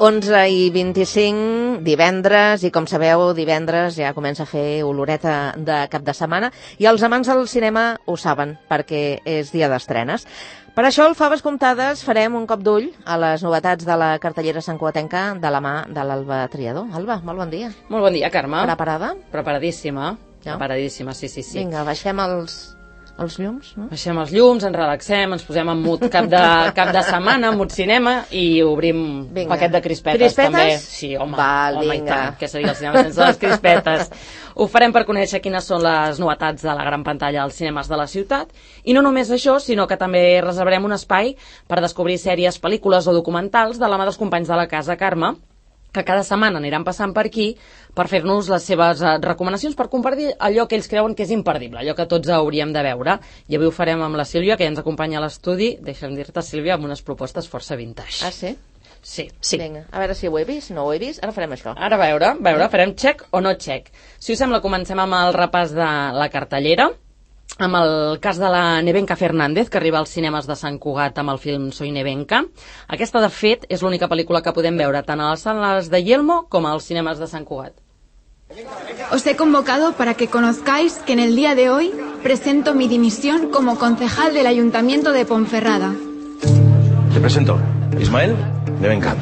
11:25, divendres, i com sabeu, divendres ja comença a fer oloreta de cap de setmana, i els amants del cinema ho saben, perquè és dia d'estrenes. Per això, al Faves Comptades, farem un cop d'ull a les novetats de la cartellera santcugatenca de la mà de l'Alba Triador. Alba, molt bon dia. Molt bon dia, Carme. Preparada? Preparadíssima. Ja? Preparadíssima, sí. Vinga, baixem els llums, no? Baixem els llums, ens relaxem, ens posem en mood cap de setmana, mood cinema, i obrim un paquet de crispetes, també. Sí, home, i tant, què seria el cinema sense les crispetes? Ho farem per conèixer quines són les novetats de la gran pantalla als cinemes de la ciutat, i no només això, sinó que també reservarem un espai per descobrir sèries, pel·lícules o documentals de la mà dels companys de la casa, Carme, que cada setmana aniran passant per aquí per fer-nos les seves recomanacions, per compartir allò que ells creuen que és imperdible, allò que tots hauríem de veure. I avui ho farem amb la Sílvia, que ja ens acompanya a l'estudi. Deixa'm dir-te, Sílvia, amb unes propostes força vintage. Ah, sí? Sí. Vinga, a veure si ho he vist, no ho he vist, ara farem això. Ara a veure, farem check o no check. Si us sembla, comencem amb el repàs de la cartellera, amb el cas de la Nevenka Fernández, que arriba als cinemes de Sant Cugat amb el film Soy Nevenka. Aquesta, de fet, és l'única pel·lícula que podem veure tant a les sales de Yelmo com als cinemes de Sant Cugat. Os he convocado para que conozcáis que en el día de hoy presento mi dimisión como concejal del Ayuntamiento de Ponferrada. Te presento, Ismael Nevenka.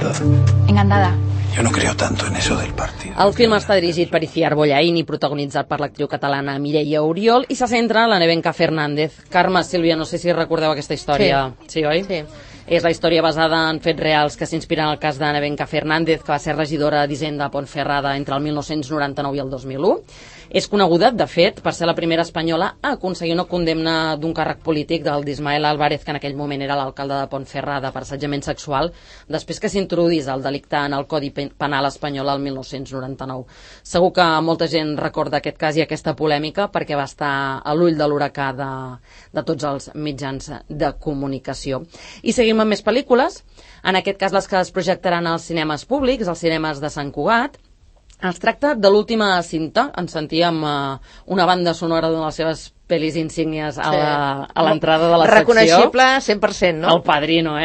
Encantada. Yo no creo tanto en eso del partido. El film està dirigit per Iciar Bollaín i protagonitzat per l'actriu catalana Mireia Oriol, i se centra en la Nevenka Fernández. Carme, Sílvia, no sé si recordeu aquesta història. Sí, oi? Sí. És la història basada en fets reals que s'inspiren en el cas de Nevenka Fernández, que va ser regidora d'Hisenda a Ponferrada entre el 1999 i el 2001. És coneguda, de fet, per ser la primera espanyola a aconseguir una condemna d'un càrrec polític del d'Ismael Álvarez, que en aquell moment era l'alcalde de Ponferrada, per assetjament sexual, després que s'introduís el delicte en el Codi Penal espanyol el 1999. Segur que molta gent recorda aquest cas i aquesta polèmica perquè va estar a l'ull de l'huracà de tots els mitjans de comunicació. I seguim amb més pel·lícules, en aquest cas les que es projectaran als cinemes públics, als cinemes de Sant Cugat. Es tracta de l'última cinta. Ens sentíem una banda sonora d'una de les seves pel·lis insígnies a l'entrada de la secció. Reconeixible 100%, no? El Padrino,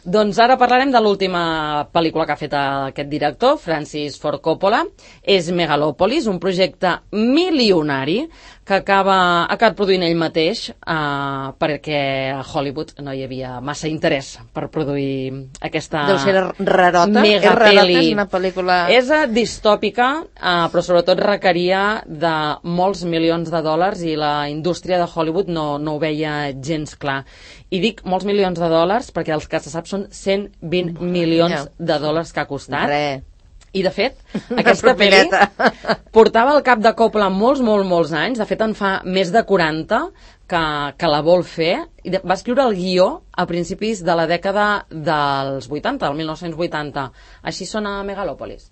Doncs ara parlarem de l'última pel·lícula que ha fet aquest director, Francis Ford Coppola. És Megalòpolis, un projecte milionari que ha acabat produint ell mateix perquè a Hollywood no hi havia massa interès per produir aquesta Deu ser rarota. megapeli. És una pel·lícula... És distòpica, però sobretot requeria de molts milions de dòlars i la indústria de Hollywood no ho veia gens clar. I dic molts milions de dòlars perquè els que se sap són 120 milions de dòlars que ha costat. I, de fet, aquesta pel·li portava al cap de Coppola molts anys. De fet, en fa més de 40 que la vol fer. I va escriure el guió a principis de la dècada dels 80, el 1980. Així sona Megalòpolis.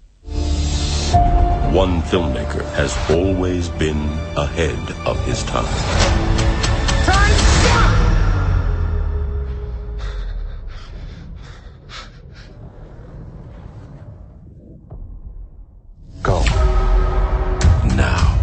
One filmmaker has always been ahead of his time. Go. Now,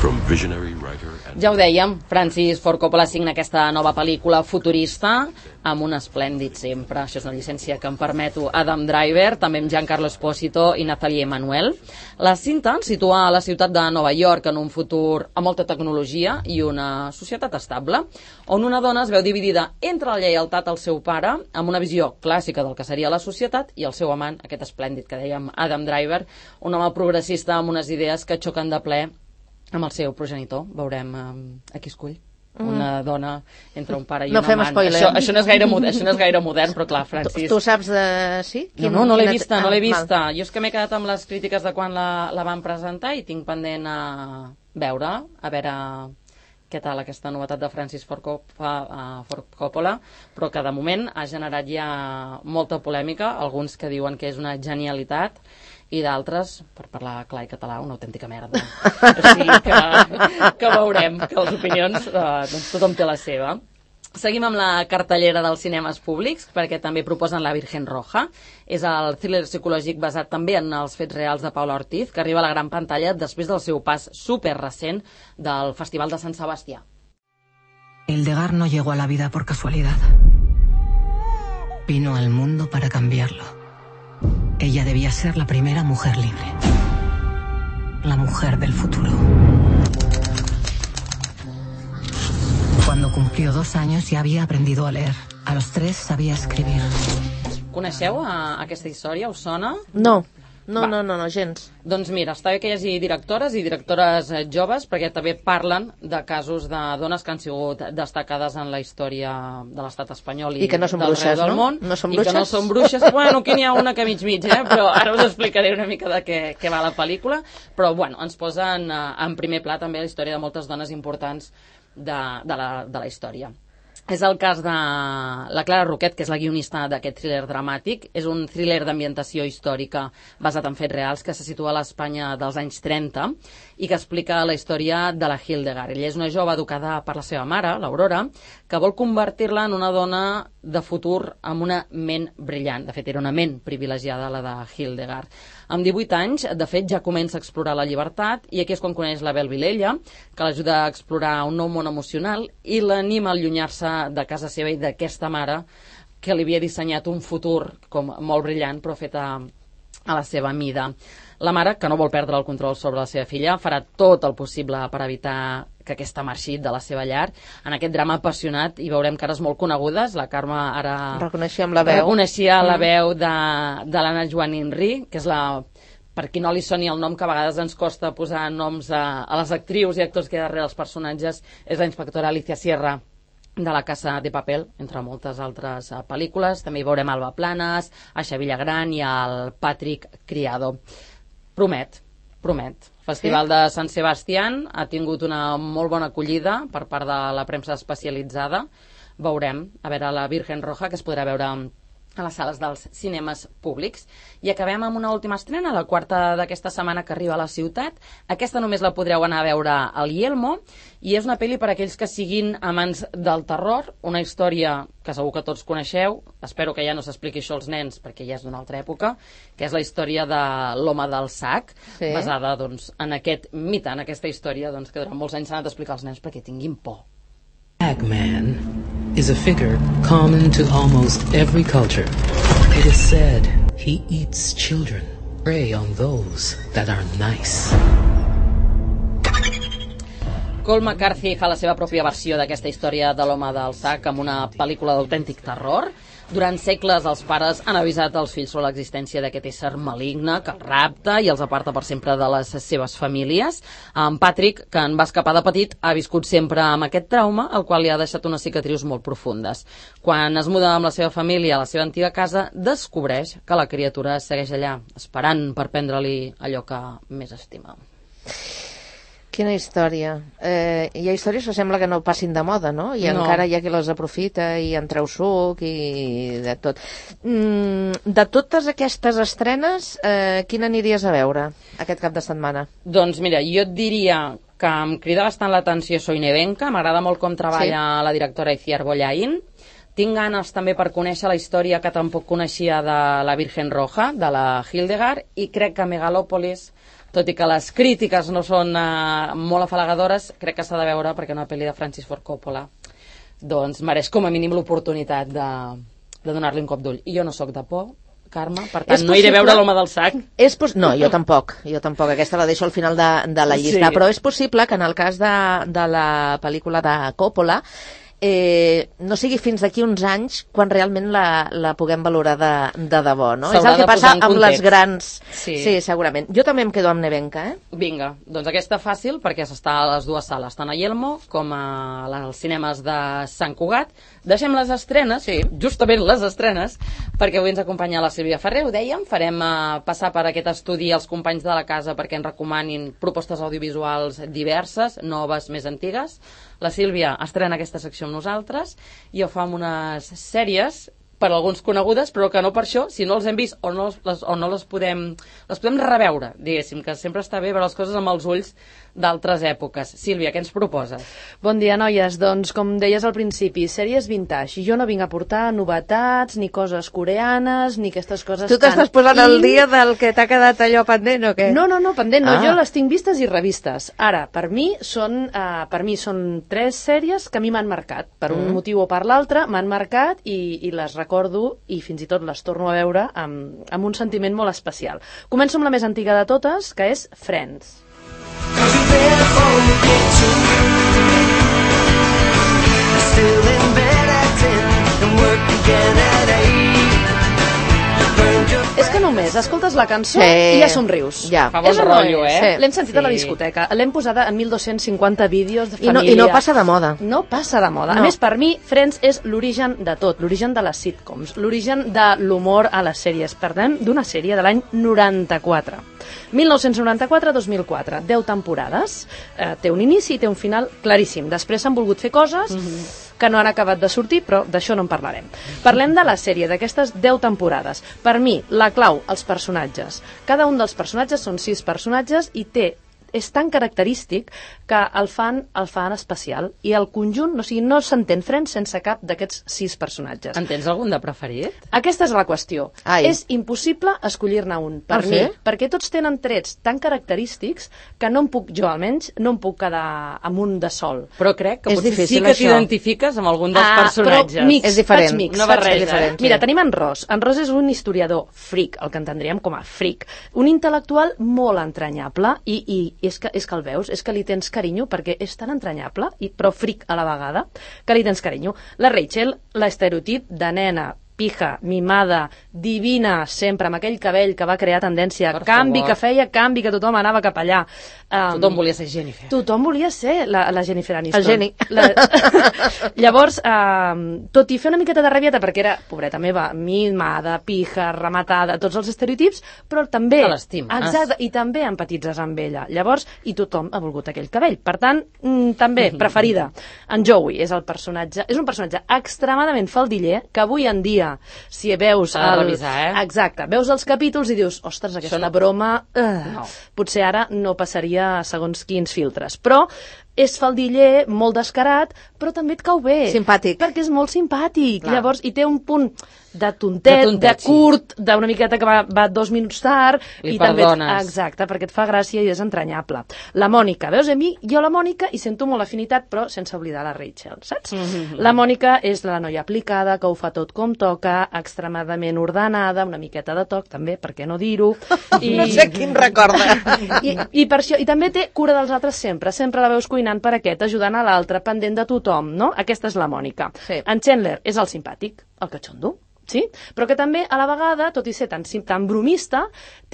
from visionary writer and... Ja ho dèiem, Francis Ford Coppola signa aquesta nova pel·lícula futurista amb un esplèndid sempre. Això és una llicència que em permeto. Adam Driver, també amb Giancarlo Esposito i Nathalie Emmanuel. La cinta ens situa a la ciutat de Nova York en un futur amb molta tecnologia i una societat estable, on una dona es veu dividida entre la lleialtat al seu pare, amb una visió clàssica del que seria la societat, i el seu amant, aquest esplèndid que dèiem, Adam Driver, un home progressista amb unes idees que xoquen de ple amb el seu progenitor. Veurem a qui escull. Una dona entre un pare i un amant. No fem spoiler. Això no és gaire modern, però clar, Francis... Tu saps de... Sí? No l'he vista. Jo és que m'he quedat amb les crítiques de quan la van presentar i tinc pendent a veure què tal aquesta novetat de Francis Ford Coppola, però que de moment ha generat ja molta polèmica, alguns que diuen que és una genialitat i d'altres, per parlar clar i català, una autèntica merda. O sigui que veurem, que les opinions, doncs tothom té la seva. Seguim amb la cartellera dels cinemes públics, perquè també proposen La Virgen Roja. És el thriller psicològic basat també en els fets reals de Paula Ortiz, que arriba a la gran pantalla després del seu pas superrecent del Festival de Sant Sebastià. Hildegard no llegó a la vida por casualidad. Vino al mundo para cambiarlo. Ella debía ser la primera mujer libre. La mujer del futuro. Cuando cumplió 2 años ya había aprendido a leer. A los 3 sabía escribir. Coneixeu aquesta història? Us sona? No, gens. Doncs mira, està bé que hi hagi directores i directores joves, perquè també parlen de casos de dones que han sigut destacades en la història de l'estat espanyol I que no són bruixes, del món, no són i bruixes? que no són bruixes. Bueno, aquí n'hi ha una que mig, però ara us explicaré una mica de què va la pel·lícula. Però, bueno, ens posen en primer pla també la història de moltes dones importants de la història. És el cas de la Clara Roquet, que és la guionista d'aquest thriller dramàtic. És un thriller d'ambientació històrica basat en fets reals que se situa a l'Espanya dels anys 30 i que explica la història de la Hildegard. Ella és una jove educada per la seva mare, l'Aurora, que vol convertir-la en una dona de futur amb una ment brillant. De fet, era una ment privilegiada, la de Hildegard. Amb 18 anys, de fet, ja comença a explorar la llibertat i aquí és quan coneix la Bel Vilella, que l'ajuda a explorar un nou món emocional i l'anima a allunyar-se de casa seva i d'aquesta mare que li havia dissenyat un futur com molt brillant però fet a la seva mida. La mare, que no vol perdre el control sobre la seva filla, farà tot el possible per evitar que aquesta marxi de la seva llar. En aquest drama apassionat hi veurem cares molt conegudes. La Carme ara reconeixia la veu de l'Anna Joanín Ri, que és per qui no li soni el nom, que a vegades ens costa posar noms a les actrius i actors que hi ha darrere els personatges, és la inspectora Alicia Sierra de La Casa de Papel, entre moltes altres pel·lícules. També hi veurem Alba Planas, Aixa Villagran i el Patrick Criado. Promet. Festival de Sant Sebastián ha tingut una molt bona acollida per part de la premsa especialitzada. Veurem, a veure, la Virgen Roja, que es podrà veure a les sales dels cinemes públics. I acabem amb una última estrena, la quarta d'aquesta setmana que arriba a la ciutat. Aquesta només la podreu anar a veure al Yelmo i és una pel·li per a aquells que siguin amants del terror, una història que segur que tots coneixeu, espero que ja no s'expliqui això als nens perquè ja és d'una altra època, que és la història de l'home del sac, basada en aquest mite, en aquesta història que durant molts anys s'ha anat a explicar als nens perquè tinguin por. Bagman is a figure common to almost every culture. It is said he eats children, prey on those that are nice. Colm McCarthy fa la seva pròpia versió d'aquesta història de l'home del sac amb una pel·lícula d'autèntic terror. Durant segles els pares han avisat els fills sobre l'existència d'aquest ésser maligne que els rapta i els aparta per sempre de les seves famílies. En Patrick, que en va escapar de petit, ha viscut sempre amb aquest trauma, el qual li ha deixat unes cicatrius molt profundes. Quan es muda amb la seva família a la seva antiga casa, descobreix que la criatura segueix allà, esperant per prendre-li allò que més estima. Quina història. Hi ha històries que sembla que no passin de moda, no? I encara hi ha qui les aprofita i en treu suc i de tot. De totes aquestes estrenes, quina aniries a veure aquest cap de setmana? Doncs mira, jo et diria que em crida bastant l'atenció Soy Nevenka, m'agrada molt com treballa la directora Itziar Bollaín. Tinc ganes també per conèixer la història que tampoc coneixia de la Virgen Roja, de la Hildegard, i crec que Megalòpolis, tot i que les crítiques no són molt afalagadores, crec que s'ha de veure perquè una pel·li de Francis Ford Coppola doncs mereix com a mínim l'oportunitat de donar-li un cop d'ull. I jo no sóc de por, Carme, per tant no iré a veure l'home del sac. No, jo tampoc, aquesta la deixo al final de la llista, però és possible que en el cas de la pel·lícula de Coppola no sigui fins d'aquí uns anys quan realment la puguem valorar de debò, no? És el que passa amb les grans... Sí, segurament. Jo també em quedo amb Nevenka, Vinga, doncs aquesta fàcil, perquè s'està a les dues sales, tant a Yelmo com als cinemes de Sant Cugat. Deixem les estrenes, justament les estrenes, perquè avui ens acompanya la Sílvia Ferrer, ho dèiem, farem passar per aquest estudi als companys de la casa perquè ens recomanin propostes audiovisuals diverses, noves, més antigues. La Sílvia estrena aquesta secció amb nosaltres i ho fa amb unes sèries per alguns conegudes, però que no per això, si no els hem vist o no les podem reveure, diguéssim, que sempre està bé veure les coses amb els ulls d'altres èpoques. Sílvia, què ens proposes? Bon dia, noies. Doncs, com deies al principi, sèries vintage. Jo no vinc a portar novetats, ni coses coreanes, ni aquestes coses... Tu t'estàs posant al dia del que t'ha quedat allò pendent o què? No, pendent no. Jo les tinc vistes i revistes. Ara, per mi són 3 sèries que a mi m'han marcat. Per un motiu o per l'altre m'han marcat i les recordo recordo i fins i tot les torno a veure amb un sentiment molt especial. Començo amb la més antiga de totes, que és Friends. És que només escoltes la cançó i ja somrius. Ja. Fa bon rotllo, eh? Sí. L'hem sentit a la discoteca, l'hem posada en 1.250 vídeos de família. I no passa de moda. No passa de moda. No. A més, per mi, Friends és l'origen de tot, l'origen de les sitcoms, l'origen de l'humor a les sèries. Parlem d'una sèrie de l'any 94. 1994-2004, 10 temporades, té un inici i té un final claríssim. Després s'han volgut fer coses que no han acabat de sortir, però d'això no en parlarem. Parlem de la sèrie, d'aquestes 10 temporades. Per mi, la clau, els personatges. Cada un dels personatges són 6 personatges i és tan característic que el fan especial. I el conjunt, o sigui, no s'entén Friends sense cap d'aquests 6 personatges. En tens algun de preferit? Aquesta és la qüestió. Ai. És impossible escollir-ne un, per mi, perquè tots tenen trets tan característics que no em puc, jo almenys, no em puc quedar amb un de sol. Però crec que És potser difícil, sí que això. t'identifiques amb algun dels personatges. Però mix, És diferent. faig mix, Una faig barreja, mix. diferent, Mira, sí. tenim en Ross. En Ross és un historiador freak, el que entendríem com a freak. Un intel·lectual molt entranyable i és que el veus, és que li tens carinyo perquè és tan entranyable, però fric a la vegada, que li tens carinyo. La Rachel, l'estereotip de nena, pija, mimada, divina, sempre, amb aquell cabell que va crear tendència, Per canvi favor. que feia, canvi que tothom anava cap allà. Tothom volia ser Jennifer. Tothom volia ser la Jennifer Aniston. El geni. Llavors, tot i fer una miqueta de rabieta, perquè era, pobreta meva, mimada, pija, rematada, tots els estereotips, però també... Te l'estimes. Exacte, i també empatitzes amb ella. Llavors, i tothom ha volgut aquell cabell. Per tant, també, preferida. En Joey és un personatge extremadament faldiller, que avui en dia, si veus... S'ha de revisar, eh? Exacte, veus els capítols i dius, ostres, aquesta broma... No. Potser ara no passaria segons quins filtres. Però és faldiller, molt descarat, però també et cau bé. Simpàtic. Perquè és molt simpàtic. Clar. Llavors, i té un punt de tontet, de sí. curt, d'una miqueta que va 2 minuts tard. Li i també perdones. exacte, perquè et fa gràcia i és entranyable. La Mònica, veus, a mi, jo la Mònica hi sento molt afinitat, però sense oblidar la Rachel, saps? La Mònica és la noia aplicada, que ho fa tot com toca, extremadament ordenada, una miqueta de toc, també, per què no dir-ho? No sé quin recorda. I per això, i també té cura dels altres sempre la veus cuinant per aquest, ajudant a l'altre, pendent de tothom, no? Aquesta és la Mònica. Sí. En Chandler és el simpàtic, el catxondo, sí? Però que també, a la vegada, tot i ser tan bromista,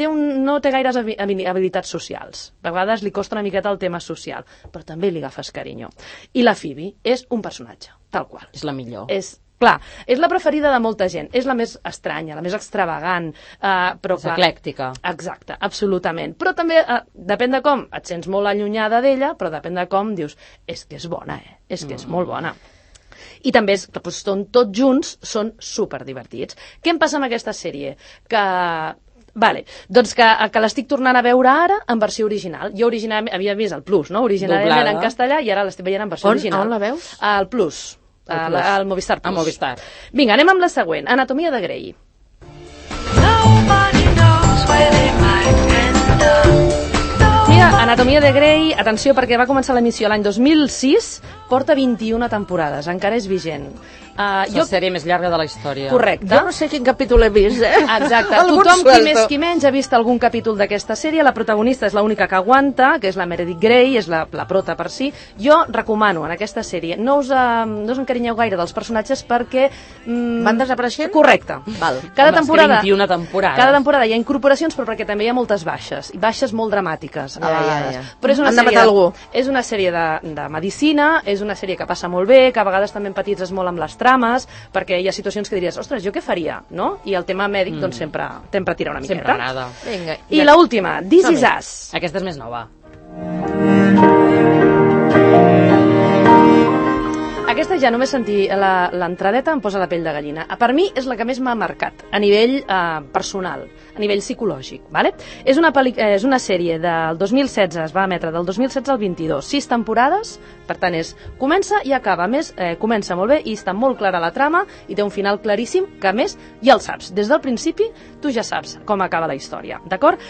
no té gaires habilitats socials. A vegades li costa una miqueta el tema social, però també li agafes carinyo. I la Phoebe és un personatge, tal qual. És la millor. Clar, és la preferida de molta gent, és la més estranya, la més extravagant, però És eclèctica. Exacte, absolutament. Però també, depèn de com, et sents molt allunyada d'ella, però depèn de com dius, és que és bona, és que és molt bona. I també és que són tots junts, són superdivertits. Què em passa amb aquesta sèrie? Vale, doncs que l'estic tornant a veure ara en versió original. Jo originalment havia vist el Plus, no? Originalment Doblada. era en castellà i ara l'estic veient en versió original. On la veus? Al Plus. Al Movistar Plus. A Movistar. Vinga, anem amb la següent. Anatomia de Grey. Tia, Anatomia de Grey, atenció, perquè va començar l'emissió l'any 2006, porta 21 temporades, encara és vigent. És la sèrie més llarga de la història. Correcte. Jo no sé quin capítol he vist, Exacte. Algun Tothom, qui suelto. més qui menys, ha vist algun capítol d'aquesta sèrie. La protagonista és l'única que aguanta, que és la Meredith Grey, és la prota per si. Jo recomano en aquesta sèrie, no us encarinyeu gaire dels personatges perquè... Van desapareixent? Correcte. Val. Cada Home, és que temporada, 21 temporades. Cada temporada hi ha incorporacions, però perquè també hi ha moltes baixes, i baixes molt dramàtiques a Ja, vegades. ja. Però és una Han de sèrie, matar algú. és una sèrie de medicina, és una sèrie que passa molt bé, que a vegades també empatitzes molt amb les trames, perquè hi ha situacions que diries, ostres, jo què faria, no? I el tema mèdic, doncs, sempre tira una miqueta. Sempre agrada. Vinga. I l'última, This Is Us. Aquesta és més nova. Aquesta ja només sentir l'entradeta em posa la pell de gallina. Per mi és la que més m'ha marcat a nivell personal, a nivell psicològic. Vale? És una sèrie del 2016, es va emetre del 2016 al 22, 6 temporades, per tant comença i acaba. A més, comença molt bé i està molt clara la trama i té un final claríssim que, a més, ja el saps. Des del principi tu ja saps com acaba la història. D'acord?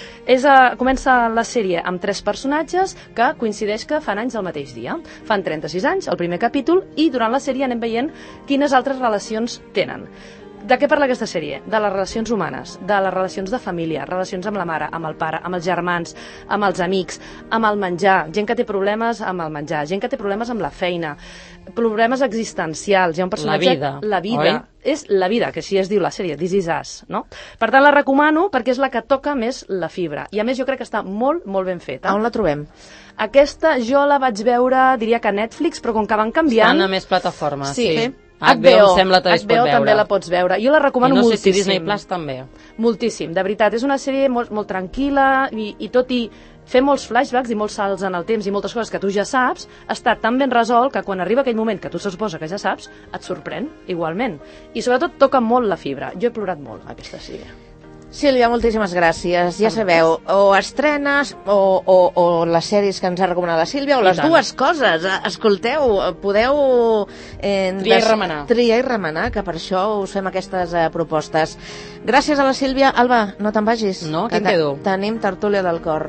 Comença la sèrie amb 3 personatges que coincideix que fan anys el mateix dia. Fan 36 anys, el primer capítol, i durant la sèrie anem veient quines altres relacions tenen. De què parla aquesta sèrie? De les relacions humanes, de les relacions de família, relacions amb la mare, amb el pare, amb els germans, amb els amics, amb el menjar, gent que té problemes amb el menjar, gent que té problemes amb la feina, problemes existencials. Hi ha un personatge... La vida, oi? És la vida, que així es diu la sèrie, This Is Us, no? Per tant, la recomano perquè és la que toca més la fibra. I a més jo crec que està molt, molt ben feta. On la trobem? Aquesta jo la vaig veure, diria que a Netflix, però com que van canviant... Estan a més plataformes, sí. HBO, em sembla que es pot veure. també la pots veure. Jo la recomano moltíssim. I no sé si Disney Plus també. Moltíssim, de veritat. És una sèrie molt tranquil·la i tot i fer molts flashbacks i molts salts en el temps i moltes coses que tu ja saps, està tan ben resolt que quan arriba aquell moment que tu se suposa que ja saps, et sorprèn igualment. I sobretot toca molt la fibra. Jo he plorat molt aquesta sèrie. Sílvia, moltíssimes gràcies. Ja sabeu, o estrenes o les sèries que ens ha recomanat la Sílvia, o les dues coses. Escolteu, podeu triar i remenar, que per això us fem aquestes propostes. Gràcies a la Sílvia. Alba, no te'n vagis. No, que em quedo. Tenim tertúlia del cor.